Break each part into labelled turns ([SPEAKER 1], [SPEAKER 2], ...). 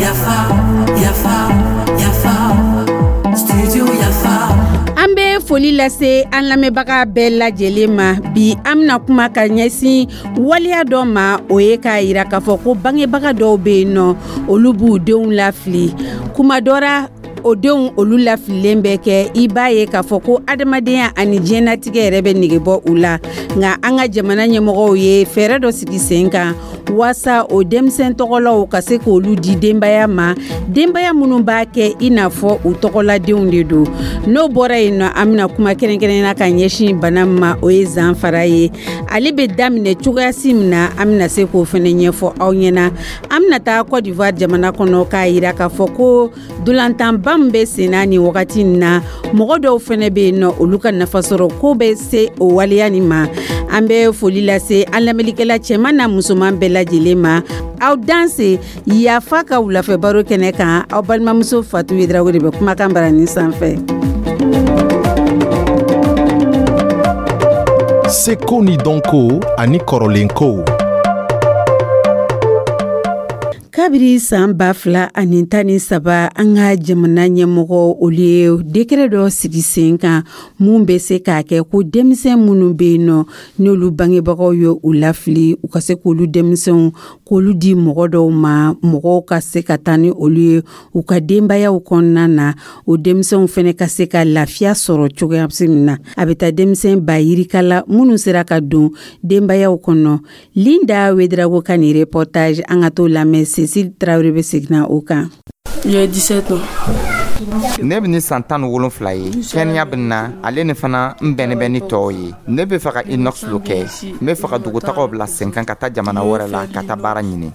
[SPEAKER 1] Yafa, yafa, yafa, studio Yafa.
[SPEAKER 2] An bɛ foli lase an lamɛnbaga bɛɛ lajɛlen ma. Bi, an bɛna kuma ka ɲɛsin waleya dɔ ma, o ye k'a yira k'a fɔ ko bangebaga dɔw bɛ yen nɔ, olu b'u denw lafili. Kuma dɔ ra, o denw olu lafililen bɛ kɛ, i b'a ye k'a fɔ ko adamadenya ani diɲɛnatigɛ yɛrɛ bɛ nege bɔ u la. Nka an ka jamana ɲɛmɔgɔw ye fɛɛrɛ dɔ sigi sen kan waasa o denmisɛn tɔgɔlaw ka se k'olu di denbaya ma, denbaya minnu b'a kɛ i n'a fɔ u tɔgɔladenw de don. N'o bɔra yen nɔ, an bɛna kuma kɛrɛnkɛrɛnnenya ka ɲɛsin bana min ma, o ye zanfara ye. Ale bɛ daminɛ cogoyasi min na, an bɛna se k'o fana ɲɛfɔ aw ɲɛna. An bɛna taa Cote d'Ivoire jamana kɔnɔ k'a yira k'a fɔ ko dolantanba min bɛ sen na nin wagati in na, mɔgɔ dɔw fana bɛ yen nɔ, olu ka nafasɔrɔ ko bɛ se o waleya nin ma. An bɛ foli lase an lamɛnnikɛla cɛman n'a musoman bɛɛ lajɛlen ma. Aw danse Yafa ka wulafɛ baro kɛnɛ kan. Aw balimamuso Fatu Yedrago de bɛ kumakan barani sanfɛ.
[SPEAKER 3] Seko ni dɔnko ani kɔrɔlenkow.
[SPEAKER 2] Kabiri san 2013, an ka jamana ɲɛmɔgɔ olu ye décret dɔ sigi sen kan mun bɛ se k'a kɛ ko denmisɛn minnu bɛ yen nɔ, n'olu bangebagaw ye u lafili, u ka se k'olu denmisɛnw k'olu di mɔgɔ dɔw ma, mɔgɔw ka se ka taa ni olu ye u ka denbayaw kɔnɔna na, o denmisɛnw fana ka se ka lafiya sɔrɔ cogoya min na. A bɛ taa denmisɛn ba yirika la minnu sera ka don denbayaw kɔnɔ. Linda Wedrago ka nin reportage, an ka t'o lamɛn. Cécile Traoré bɛ seginna o kan.
[SPEAKER 4] J'ai 17 ans.
[SPEAKER 5] Ne bɛ ni san 17 ye. Kɛnɛya bɛ na ale ni fana n bɛnnen bɛ ni tɔw ye. Ne bɛ fɛ ka inox lo kɛ. N bɛ fɛ ka dugutagaw bila sen kan ka taa jamana wɛrɛ la ka taa baara ɲini.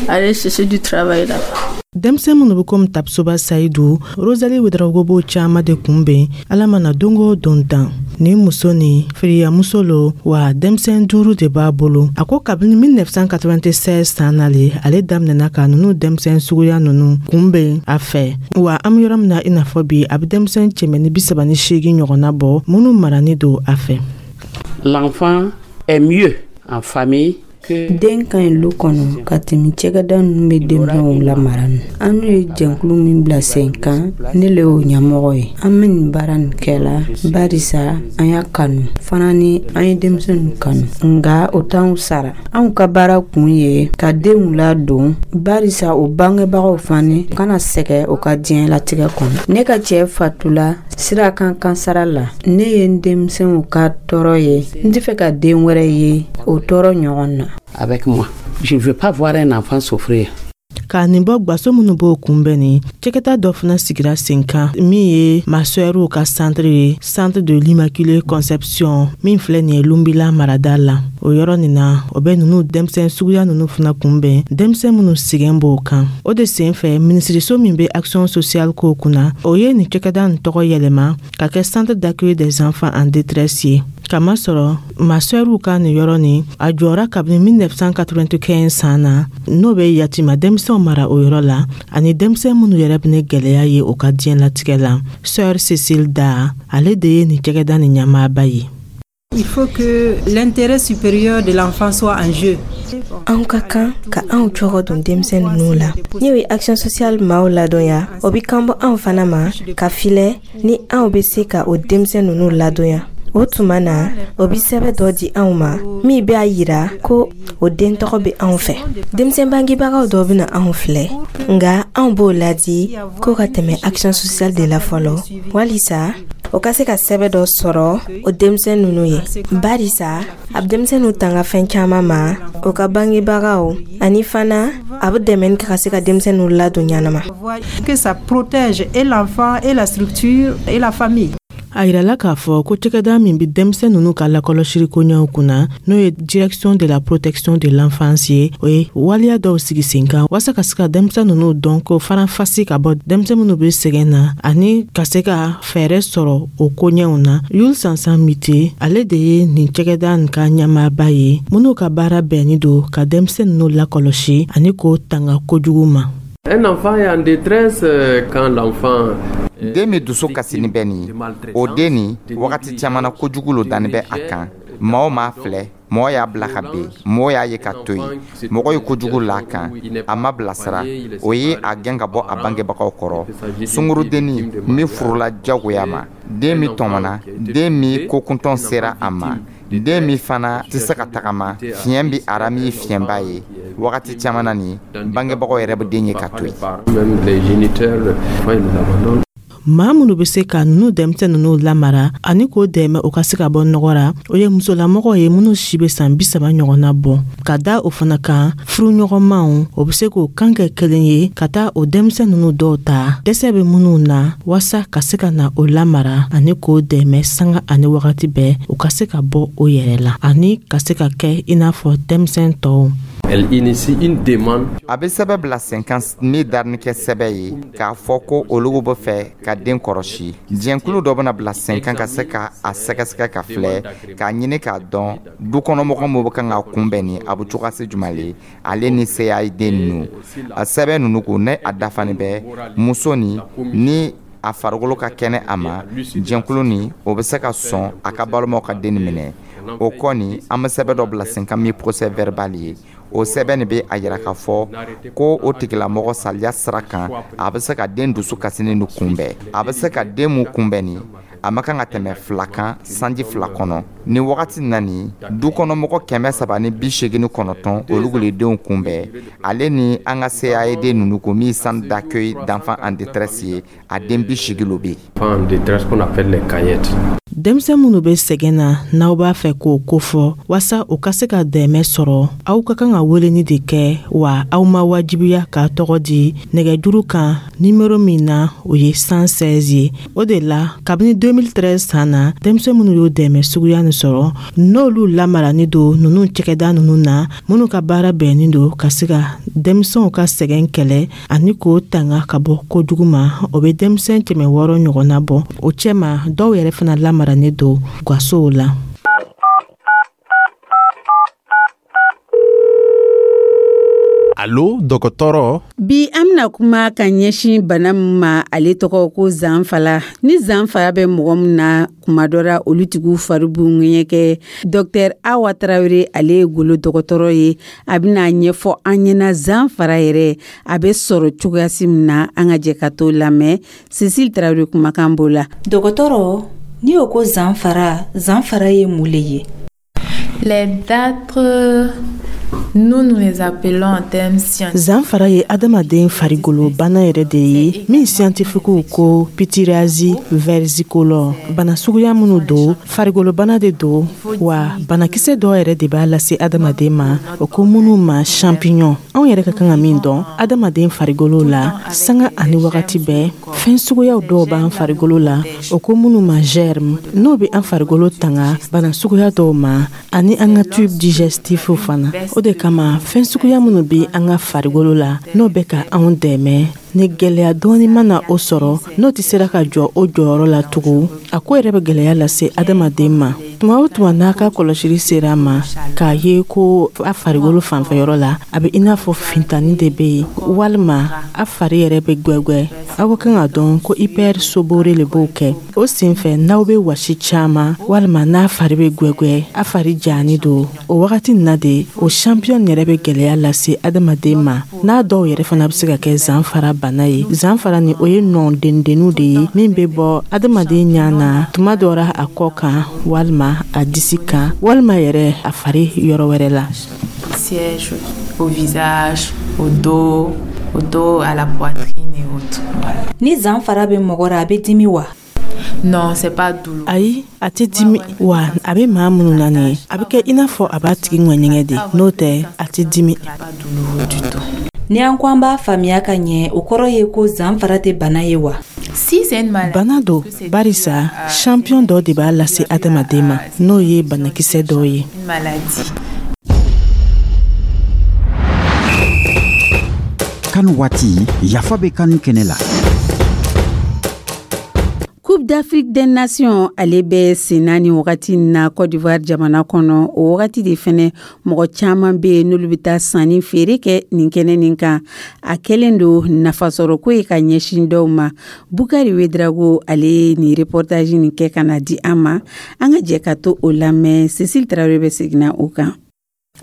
[SPEAKER 4] Aller chercher du travail là.
[SPEAKER 6] Denmisɛn minnu bɛ komi Tapsoba Sayidu, Rosalie Wedraogo b'o caaman de kunbɛn Ala mana don o don dan. Nin muso nin, firiyamuso lo wa, denmisɛn duuru de b'a bolo. A ko kabini 1996 san nale, ale daminɛna ka nunu denmisɛn suguya nunu kunbɛn a fɛ wa, an be yɔrɔ min na i n'a fɔ bi, a be denmisɛn 138 ɲɔgɔnna bɔ minnu marani don a fɛ.
[SPEAKER 7] L'enfant est mieux en famille.
[SPEAKER 8] Den ka ɲi lu kɔnɔ ka tɛmɛ cɛgɛda ninnu bɛ denmisɛnw lamara ni. An n'u ye jɛnkulu min bila sen kan, ne le y'o ɲɛmɔgɔ ye. An bɛ nin baara nin kɛla barisa an y'a kanu fana ni an ye denmisɛnw kanu, nka o t'anw sara. Anw ka baara kun ye ka denw ladon barisa o bangebagaw fani kana sɛgɛ o ka diɲɛlatigɛ kɔnɔ. Ne ka cɛɛ fatula sira kan kansara la. Ne ye n denmisɛnw ka tɔɔrɔ ye, n tɛ fɛ ka den wɛrɛ ye o tɔɔrɔ ɲɔgɔn na.
[SPEAKER 7] Avec moi. Je ne veux pas voir un enfant souffrir.
[SPEAKER 6] Ka nin bɔ gwaso minnu b'o kunbɛn ni cɛkɛta dɔ fana sigira sen kan min ye masɛriw ka centre ye, Centre de l'Immaculée Conception min filɛ nin ye Lunbila marada la. O yɔrɔ nin na, o bɛ nunu denmisɛn suguya nunu fana kunbɛn, denmisɛn minnu sigɛn b'o kan. O de sen fɛ, minisiriso min bɛ action sociale ko kunna, o ye nin cɛkɛda nin tɔgɔ yɛlɛma ka kɛ Centre d'accueil des enfants en détresse ye, kamasɔrɔ masɛriw ka nin yɔrɔ nin, a jɔra kabini 1995 san na, n'o bɛ yatima denmisɛnw mara o yɔrɔ la ani denmisɛn minnu yɛrɛ bɛ ni gwɛlɛya ye o ka diɲɛlatigɛ la. Sœur Cécile Da, ale de ye nin cɛgɛda nin ɲɛmaaba ye.
[SPEAKER 9] Il faut que l'intérêt supérieur de l'enfant soit en jeu.
[SPEAKER 10] Anw ka kan ka anw cogo don denmisɛn ninnu la. N'o ye action sociale maaw ladɔnya, o bi kan bɔ anw fana ma ka filɛ ni anw bɛ se ka o denmisɛn ninnu ladɔnya. O tuma na, o bi sɛbɛ dɔ di anw ma min b'a yira ko o den tɔgɔ bɛ anw fɛ. Denmisɛn bangebagaw dɔ bɛna anw filɛ, nka anw b'o ladi ko ka tɛmɛ action sociale de la fɔlɔ walisa o ka se ka sɛbɛ dɔ sɔrɔ o denmisɛn ninnu ye, barisa a bɛ denmisɛnninw tanga fɛn caman ma, o ka bangebagaw ani fana a bɛ dɛmɛ kɛ ka se ka denmisɛnninw ladon ɲanama.
[SPEAKER 9] Que ça protège et l'enfant et la structure et la famille.
[SPEAKER 6] A yirala k'a fɔ ko cɛkɛda min bɛ denmisɛn ninnu ka lakɔlɔsili koɲɛw kunna, n'o ye Direction de la protection de l'enfance ye, o ye waleya dɔw sigi sen kan walasa ka se ka denmisɛn ninnu dɔn ko faranfasi ka bɔ denmisɛn minnu bɛ sɛgɛn na ani ka se ka fɛɛrɛ sɔrɔ o koɲɛw na. Yul Sansan Mite, ale de ye nin cɛkɛda nin ka ɲɛmaaba ye, minnu ka baara bɛnni don ka denmisɛn ninnu lakɔlɔsi ani k'o tanga kojugu ma.
[SPEAKER 11] Un enfant est en détresse quand l'enfant
[SPEAKER 5] Den min dusu kasini bɛ nin ye, o den nin, wagati caman na, kojugu lo danni bɛ a kan. Maaw m'a filɛ, mɔgɔ y'a bila ka ben, mɔgɔ y'a ye ka to yen, mɔgɔ ye kojugu la kan, a ma bilasira, o ye a gɛn ka bɔ a bangebagaw kɔrɔ. Sungurudenni min furula jagoya ma, den min tɔmɔna, den min kokuntɔn sera a ma, den min fana tɛ se ka tagama, fiɲɛ bɛ a ra min ye fiɲɛba ye. Wagati caman na nin, bangebagaw yɛrɛ bɛ den ye ka to yen.
[SPEAKER 6] Maa minnu bɛ se ka ninnu denmisɛn ninnu lamara ani k'o dɛmɛ u ka se ka bɔ nɔgɔ ra, o ye musolamɔgɔw ye minnu si bɛ san 30 ɲɔgɔnna bɔ. Ka da o fana kan, furuɲɔgɔnmaw o bɛ se k'o kan kɛ kelen ye ka taa o denmisɛn ninnu dɔw ta, dɛsɛ bɛ minnu na, waasa ka se ka na o lamara ani k'o dɛmɛ sanga ani wagati bɛɛ, u ka se ka bɔ o yɛrɛ la ani ka se ka kɛ i n'a fɔ denmisɛn tɔw.
[SPEAKER 11] Elle initie une demande.
[SPEAKER 5] A bɛ sɛbɛn bila sen kan min darini kɛ sɛbɛn ye k'a fɔ ko olu bɛ fɛ ka den kɔlɔsi. Jɛnkulu dɔ bɛna bila sen kan ka se ka a sɛgɛsɛgɛ ka filɛ, k'a ɲini k'a dɔn dukɔnɔmɔgɔ min bɛ kan ka kunbɛn ni a bɛ cogoya se jumɛn le ale ni CAD ninnu. A sɛbɛn ninnu ko ne a dafani bɛ muso ni a farikolo ka kɛnɛ a ma, jɛnkulu ni o bɛ se ka sɔn a ka balimaw ka den minɛ. O kɔni, an bɛ sɛbɛn dɔ bila sen kan min procès verbal ye. O sɛbɛn nin bɛ a yira k'a fɔ ko o tigilamɔgɔ saliya sira kan, a bɛ se ka den dusu kasinen nin kunbɛn. A bɛ se ka den mun kunbɛn nin, a ma kan ka tɛmɛ 2 kan sanji 2 kɔnɔ. Nin wagati na nin, du kɔnɔmɔgɔ 389, olu le denw kunbɛn. Ale ni an ka CAD ninnu ko min centre d'accueil d'enfants en détresse ye, a den 80 lo bɛ
[SPEAKER 11] yen. En détresse qu'on appelle les caillettes.
[SPEAKER 6] Denmisɛn minnu bɛ sɛgɛn na, n'aw b'a fɛ k'o kofɔ waasa u ka se ka dɛmɛ sɔrɔ, aw ka kan ka weleni de kɛ, wa aw ma wajibiya k'a tɔgɔ di nɛgɛjuru kan nimero min na, o ye 116 ye. O de la, kabini 2013 san na, denmisɛn minnu y'o dɛmɛ suguya nin sɔrɔ, n'olu lamarani don ninnu cɛkɛda ninnu na, minnu ka baara bɛnnen don ka se ka denmisɛnw ka sɛgɛn kɛlɛ ani k'o tanga ka bɔ kojugu ma, o bɛ denmisɛn 600 ɲɔgɔnna bɔ. O cɛma, dɔw yɛrɛ fana lamarani don gasow la.
[SPEAKER 3] Alo, dɔgɔtɔrɔ.
[SPEAKER 2] Bi an bɛna kuma ka ɲɛsin bana min ma, ale tɔgɔ ko zanfala. Ni zanfala bɛ mɔgɔ min na, kuma dɔ la olu tigiw fari b'u ŋɛɲɛ. Dɔktɛr Awa Tarawele, ale ye golo dɔgɔtɔrɔ ye, a bɛna ɲɛfɔ an ɲɛna zanfara yɛrɛ a bɛ sɔrɔ cogoyasi min na. An ka jɛ ka t'o lamɛn. Cecile Tarawele kumakan b'o la.
[SPEAKER 12] Dɔgɔtɔrɔ, n'i y'o ko zanfara, zanfara ye mun le ye?
[SPEAKER 13] Les datres, nous, nous les appelons en termes scientifiques.
[SPEAKER 6] Zanfara ye adamaden farigolo bana yɛrɛ de ye min scientifiquew ko pityriasis versicolore. Bana suguya minnu don, farigolo bana de don, wa banakisɛ dɔw yɛrɛ de b'a lase adamaden ma, o ko minnu ma champignon. Anw yɛrɛ ka kan ka min dɔn adamaden farigolo la, sanga ani wagati bɛɛ, fɛn suguyaw dɔw b'an farigolo la, o ko minnu ma germe, n'o bɛ an farigolo tanga bana suguya dɔw ma, ani an ka tube digestif fana. O de kama, fɛn suguya minnu bɛ an ka farigolo la, n'o bɛ ka anw dɛmɛ, ni gɛlɛya dɔɔni mana o sɔrɔ, n'o tɛ sera ka jɔ o jɔyɔrɔ la tugun, a ko yɛrɛ bɛ gɛlɛya lase adamaden ma. Tuma o tuma n'a ka kɔlɔsili sera a ma k'a ye ko a farigolo fanfɛyɔrɔ la, a bɛ i n'a fɔ fintani de bɛ yen, walima a fari yɛrɛ bɛ gwɛgwɛ, aw ka kan ka dɔn ko hypersobore le b'o kɛ. O senfɛ, n'aw bɛ wasi caman, walima n'a fari bɛ gwɛgwɛ, a fari jani don, o wagati nin na de, o champion yɛrɛ bɛ gɛlɛya lase adamaden ma. N'a dɔw yɛrɛ fana bɛ se ka kɛ zanfara bana ye. Zanfara ni, o ye nɔ dendenninw de ye min bɛ bɔ adamaden ɲa na, tuma dɔ la a kɔ kan, walima a disi kan, walima yɛrɛ a fari yɔrɔ wɛrɛ la.
[SPEAKER 13] Siège au visage, au dos, à la poitrine et autres. Voilà.
[SPEAKER 12] Ni zanfara bɛ mɔgɔ ra, a bɛ dimi wa?
[SPEAKER 13] Non, c'est pas douloureux.
[SPEAKER 6] Ayi, a tɛ dimi, wa a bɛ maa minnu na nin ye, a bɛ kɛ i n'a fɔ a b'a tigi ŋɛɲɛgɛn de, n'o tɛ a tɛ dimi.
[SPEAKER 13] Pas douloureux du tout.
[SPEAKER 12] Ni an ko an b'a faamuya ka ɲɛ, o kɔrɔ ye ko zanfara tɛ bana ye wa?
[SPEAKER 13] Si c'est une maladie,
[SPEAKER 6] Bana don, barisa champion dɔ de b'a lase adamaden ma, n'o ye banakisɛ dɔ ye.
[SPEAKER 13] Une maladie.
[SPEAKER 14] Kanu waati, yafa bɛ kanu kɛnɛ la.
[SPEAKER 2] Coupe Coupe d'Afrique des Nations, ale bɛ senna nin wagati na Côte d'Ivoire jamana kɔnɔ. O wagati de fɛnɛ, mɔgɔ caman bɛ yen n'olu bɛ taa sanni feere kɛ nin kɛnɛ nin kan. A kɛlen don nafasɔrɔko ye ka ɲɛsin dɔw ma. Bukari Wedrago, ale ye nin reportage nin kɛ ka na di an ma. An ka jɛ ka to o lamɛn. Cécile Traoré bɛ seginna o kan.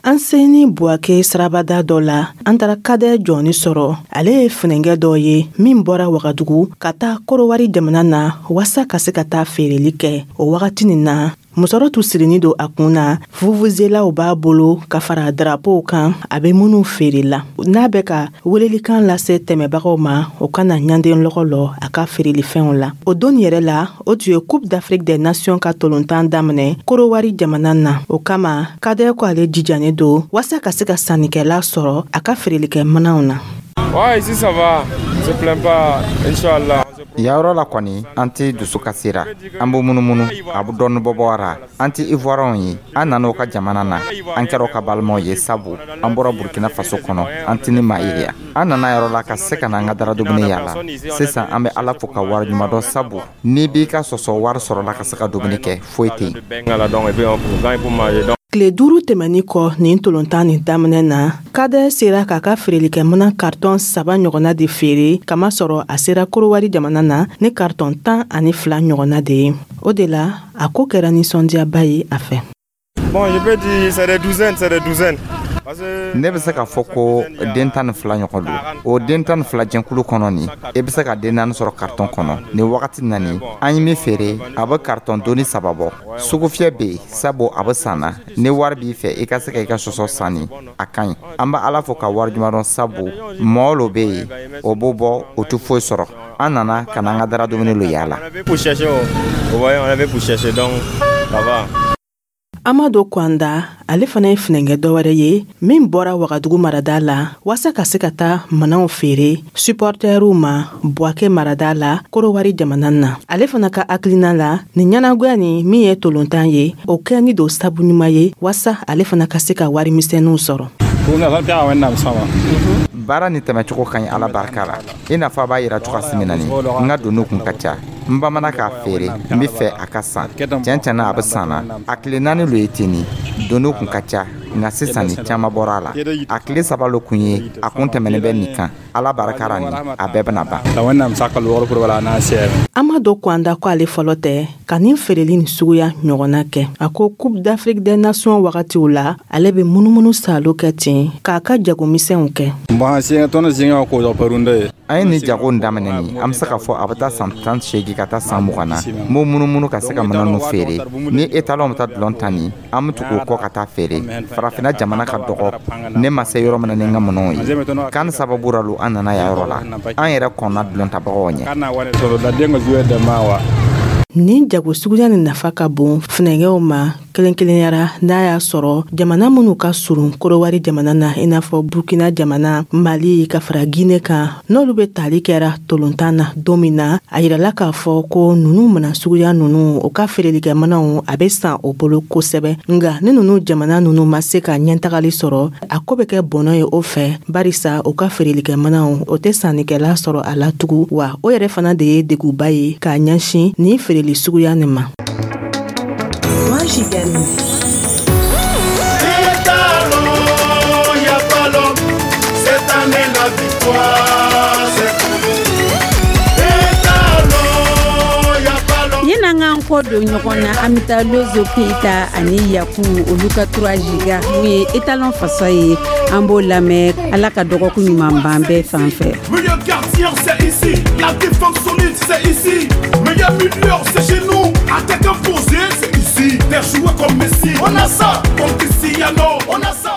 [SPEAKER 6] An seni Buwake sirabada dɔ la, an taara Kadɛ jɔni sɔrɔ. Ale ye funɛnkɛ dɔ ye min bɔra Wagadugu ka taa Korowari jamana na waasa ka se ka taa feereli kɛ. O wagati nin na, musɔrɔ tun sirinin don a kun na, vuvuzelaw b'a bolo ka fara darapow kan a bɛ minnu feere la. N'a bɛ ka welelikan lase tɛmɛbagaw ma, o kana ɲanden lɔgɔ lɔ a ka feerelifɛnw la. O don yɛrɛ la, o tun ye Coupe d'Afrique des Nations ka tolontan daminɛ Korowari jamana na. O kama, Kadɛ ko ale jijanen don waasa ka se ka sannikɛla sɔrɔ a ka feerelikɛ minɛnw na.
[SPEAKER 14] Ouais, ici ça va, on se plaint pas, Inch'Allah.
[SPEAKER 5] Yɔrɔ la kɔni, an tɛ dusu kasira, an b'o munumunu, a bɛ dɔɔni bɔ bɔra. An tɛ Ivoiriyɛnw ye, an nana o ka jamana na, an kɛra o ka balimaw ye, sabu an bɔra Burkina Faso kɔnɔ, an tɛ ni maa ye yan. An nana yɔrɔ la ka se ka na an ka dara dumuni yaala. Sisan an bɛ Ala fo ka wari ɲuman dɔn, sabu n'i b'i ka sɔsɔ wari sɔrɔ la ka se ka dumuni kɛ, foyi tɛ yen.
[SPEAKER 6] Tile 5 tɛmɛnin kɔ nin tolontan nin daminɛ na, Kadɛ sera k'a ka feerelikɛminɛ karitɔn 3 ɲɔgɔnna de feere, kamasɔrɔ a sera Korowari jamana na ni karitɔn 12 ɲɔgɔnna de ye. O de la, a ko kɛra nisɔndiyaba ye a fɛ.
[SPEAKER 14] Bon, je peux dire c'est des douzaines, c'est des douzaines.
[SPEAKER 5] Ne bɛ se k'a fɔ ko den 12 ɲɔgɔn don. O den 12 jɛnkulu kɔnɔ nin, i bɛ se ka den 4 sɔrɔ karitɔn kɔnɔ. Nin wagati na nin, an ye min feere, a bɛ karitɔn doni 3 bɔ. Sugufiyɛ bɛ yen, sabu a bɛ san na. Ni wari b'i fɛ, i ka se ka i ka sɔsɔ san nin, a ka ɲi. An bɛ Ala fo ka wari ɲuman dɔn, sabu mɔgɔ lo bɛ yen, o b'o bɔ, o tɛ foyi sɔrɔ. An nana ka na an ka dara dumuni lo yaala.
[SPEAKER 14] Pour chercher, ouais, on avait pour chercher, donc ça va.
[SPEAKER 6] Amadu Kwanda, ale fana ye funɛnkɛ dɔwɛrɛ ye min bɔra Wagadugu marada la waasa ka se ka taa mananw feere supporteriw ma Buwake marada la, Korowari jamana na. Ale fana ka hakilina la, nin ɲɛnagoya nin min ye tolontan ye, o kɛ ni don sabu ɲuman ye waasa ale fana ka se ka warimisɛnninw sɔrɔ.
[SPEAKER 5] Baara ni tɛmɛcogo ka ɲi, Ala barika la. I n'a fɔ a b'a yira cogoya min na nin, n ka doniw kun ka ca. N bamana k'a feere, n bɛ fɛ a ka san. Tiɲɛ tiɲɛ na, a bɛ san na. A tile 4 lo ye ten nin, doniw kun ka ca, nka sisan nin, caman bɔra a la. A tile 3 lo kun ye, a kun tɛmɛnen bɛ nin kan. Ala barika la nin, a bɛɛ bɛna ban.
[SPEAKER 6] Amadu Kwanda ko ale fɔlɔ tɛ ka nin feereli nin suguya ɲɔgɔnna kɛ. A ko Coupe d'Afrique des Nations wagatiw la, ale bɛ munumunu salo kɛ ten k'a ka jagomisɛnw kɛ.
[SPEAKER 5] An ye nin jago in daminɛ nin, an bɛ se k'a fɔ a bɛ taa san 18 ka taa san 20 na. N b'o munumunu ka se ka minɛn ninnu feere. Ni étalon bɛ taa dulon ta nin, an bɛ tugu o kɔ ka taa feere. Farafinna jamana ka dɔgɔ, ne ma se yɔrɔ min na ni n ka minɛnw ye kan sababu la lo, an nana yan yɔrɔ la. An yɛrɛ kɔnna dulon tabagaw ɲɛ.
[SPEAKER 6] Nin jago suguya nin nafa ka bon funɛnkɛw ma kelen kelenyara, n'a y'a sɔrɔ jamana minnu ka surun Korowari jamana na, i n'a fɔ Burkina jamana, Mali ka fara Gine kan, n'olu bɛ tali kɛra tolontan na don min na. A yirala k'a fɔ ko nunu mana suguya nunu, o ka feerelikɛminɛnw a bɛ san o bolo kosɛbɛ. Nka ni nunu jamana nunu ma se ka ɲɛtagali sɔrɔ, a ko bɛ kɛ bɔnɔ ye o fɛ, barisa o ka feerelikɛminɛnw, o tɛ sannikɛla sɔrɔ a la tugun. Wa o yɛrɛ fana de ye deguba ye k'a ɲɛsin nin feereli suguya nin ma.
[SPEAKER 1] Michigan.
[SPEAKER 15] Cette année la victoire, c'est pour nous. Étalon, y a pas l'homme.
[SPEAKER 2] Yan'an k'an kɔ don ɲɔgɔn na, an bɛ taa Lozo Keyita ani Yaku, olu ka 3 giga mun ye étalon fasa ye, an b'o lamɛn. Ala ka dɔgɔkun ɲuman ban bɛɛ fan fɛ.
[SPEAKER 15] Meilleur gardien, c'est ici. La défense solide, c'est ici. Meilleur milieu, c'est chez nous. Attaque imposée, c'est ici. Des joueurs comme Messi. On a ça, comme Cristiano. On a ça.